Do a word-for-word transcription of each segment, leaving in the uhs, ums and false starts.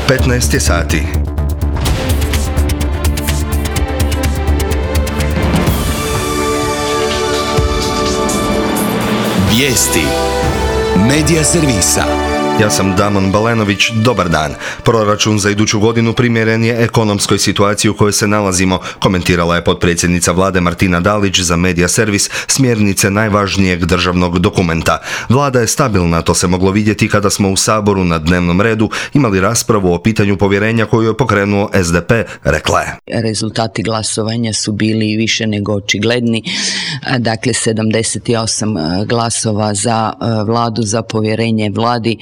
petnaest je sati. Vijesti Medija servisa. Ja sam Damon Balenović, dobar dan. Proračun za iduću godinu primjeren je ekonomskoj situaciji u kojoj se nalazimo, komentirala je potpredsjednica vlade Martina Dalić za Medija servis smjernice najvažnijeg državnog dokumenta. Vlada je stabilna, to se moglo vidjeti kada smo u Saboru na dnevnom redu imali raspravu o pitanju povjerenja koju je pokrenuo S D P, rekla je. Rezultati glasovanja su bili više nego očigledni, dakle sedamdeset osam glasova za vladu, za povjerenje vladi.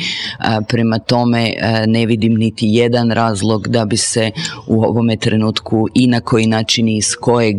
Prema tome ne vidim niti jedan razlog da bi se u ovome trenutku i na koji način i iz kojeg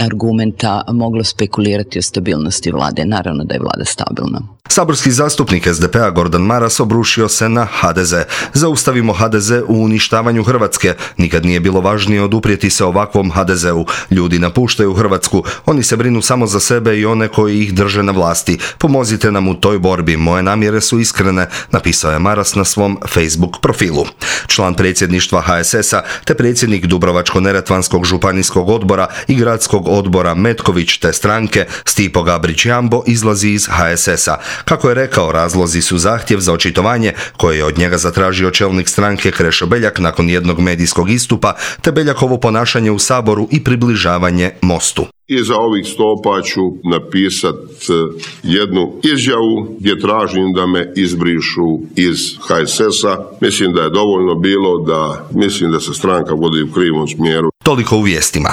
argumenta moglo spekulirati o stabilnosti vlade. Naravno da je vlada stabilna. Saborski zastupnik S D P-a Gordan Maras obrušio se na H D Z. Zaustavimo H D Z u uništavanju Hrvatske. Nikad nije bilo važnije oduprijeti se ovakvom H D Z-u. Ljudi napuštaju Hrvatsku. Oni se brinu samo za sebe i one koji ih drže na vlasti. Pomozite nam u toj borbi. Moje namjere su iskrene, napisao je Maras na svom Facebook profilu. Član predsjedništva H S S-a te predsjednik Dubrovačko-neretvanskog županijskog odbora i gradskog odbora Metković te stranke Stipo Gabrić Jambo izlazi iz H S S-a. Kako je rekao, razlozi su zahtjev za očitovanje koje je od njega zatražio čelnik stranke Krešo Beljak nakon jednog medijskog istupa, te Beljakovo ponašanje u Saboru i približavanje Mostu. Iza ovih stopa ću napisat jednu izjavu gdje tražim da me izbrišu iz H S S-a. Mislim da je dovoljno bilo da mislim da se stranka vodi u krivom smjeru. Toliko u vijestima.